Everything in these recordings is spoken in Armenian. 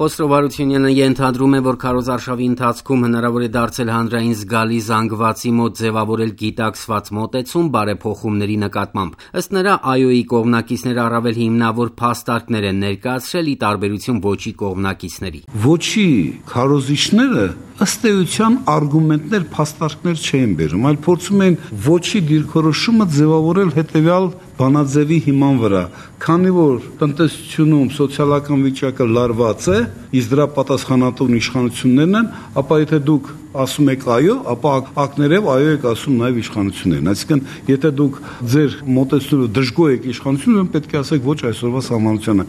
Խոսրով Հարությունյանը ենթադրում է, որ քարոզարշավի ընթացքում հնարավոր է դարձել հանրային զգալի զանգվածի մոտ ձևավորել գիտակցված մոտեցում բարեփոխումների նկատմամբ։ Ըստ նրա, ԱՅՈ-ի կողմնակիցները առավել հիմնավոր փաստարկներ են ներկայացրել ի տարբերություն ոչի կողմնակիցների։ Ոչի քարոզիչները ըստ էության արգումենտներ, փաստարկներ չեն բերում, այլ փորձում են ոչի դիրքորոշումը ձևավորել հետևյալ բանաձևի հիման վրա, քանի որ տնտեսությունում սոցիալական վիճակը լարված է, իսկ դրա պատասխանատու իշխանություններն են, ապա եթե դուք ասում եք այո, ապա ակներև այո եք ասում նաև իշխանություններն։ Այսինքն, եթե դուք ձեր մոտեցումով դժգոհ եք իշխանություններում, պետք է ասեք ոչ այսօրվա սահմանությանը։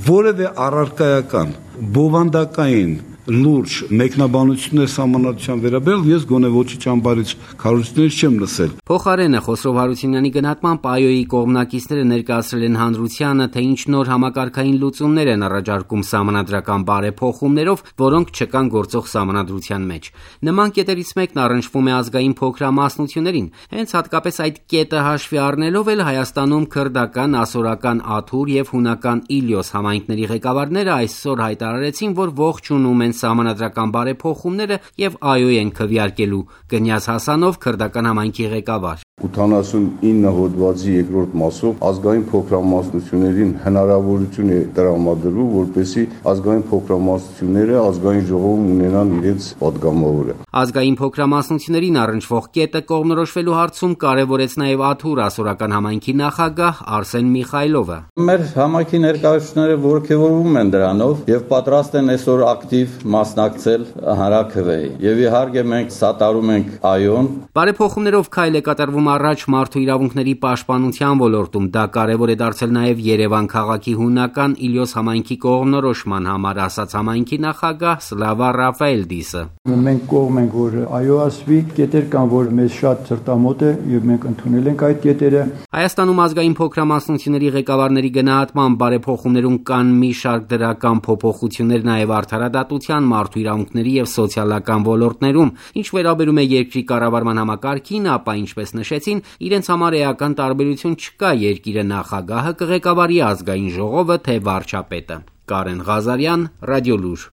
Որևէ առարկայական, բովանդակային լուրջ մեկնաբանություններ սահմանադրության վերաբերյալ ես գոնե ոչի ճամբարից քարոզիչներից չեմ լսել։ Փոխարենը Խոսրով Հարությունյանի գնահատմամբ ԱՅՈ-ի կողմնակիցները ներկայացրել են հանրությանը, թե ինչ նոր համակարգային լուծումներ են առաջարկում սահմանադրական բարեփոխումներով, որոնք չկան գործող սահմանադրության մեջ։ Նման կետերից մեկն առնչվում է ազգային փոքրամասնություններին։ Հենց հատկապես այդ կետը հաշվի առնելով էլ Հայաստանում քրդական, ասորական Աթուր եւ հունական Իլյոս համայնքների ղեկավարները այսօր հայտարարեցին, որ ողջունում են սահմանադրական բարեփոխումները եւ ԱՅՈ են քվեարկելու։ Կնյազ Հասանով քրդական համայնքի ղեկավար 89 հոդվածի երկրորդ մասով ազգային փոքրամասնություններին հնարավորություն է տրամադրվում, որպեսզի ազգային փոքրամասնությունները ազգային ժողովում ունենան իրենց պատգամավորը։ Ազգային փոքրամասնություններին առնչվող կետը կողմնորոշվելու հարցում կարևորեց նաև Աթուր ասորական համայնքի նախագահ Արսեն Միխայլովը։ Մեր համայնքի ներկայացուցիչները ողջևորվում են դրանով եւ պատրաստ են այսօր ակտիվ մասնակցել հանրաքվեի։ Եվ իհարկե մենք սատարում ենք ԱՅՈ-ն։ Բարեփոխումներով քայլ է կատարվում առաջ մարդու իրավունքների պաշտպանության ոլորտում։ Դա կարևոր է դարձել նաև Երևան քաղաքի հունական Իլյոս համայնքի կողմնորոշման համար, ասաց համայնքի նախագահ Սլավա Ռաֆայելդիսը։ Մենք կողմ ենք, որ ԱՅՈ ասվի, կետեր կան, որ մեզ շատ սրտամոտ է եւ մենք ընդունել ենք այդ կետերը։ Հայաստանում ազգային փոքրամասնությունների ղեկավարների գնահատմամբ բարեփոխումներում կան մի շարք դրական փոփոխություններ նաև արդարադատության, մարդու իրավունքների եւ սոցիալական ոլորտներում։ Ինչ վերաբերում է երկրի կառավարման համակարգին, ապա ինչպես նշեցին, իրենց համար էական տարբերություն չկա երկիրը նախագահը կղեկավարի ազգային ժողովը, թե վարչապետը։ Կարեն Ղազարյան, Ռադիոլուր։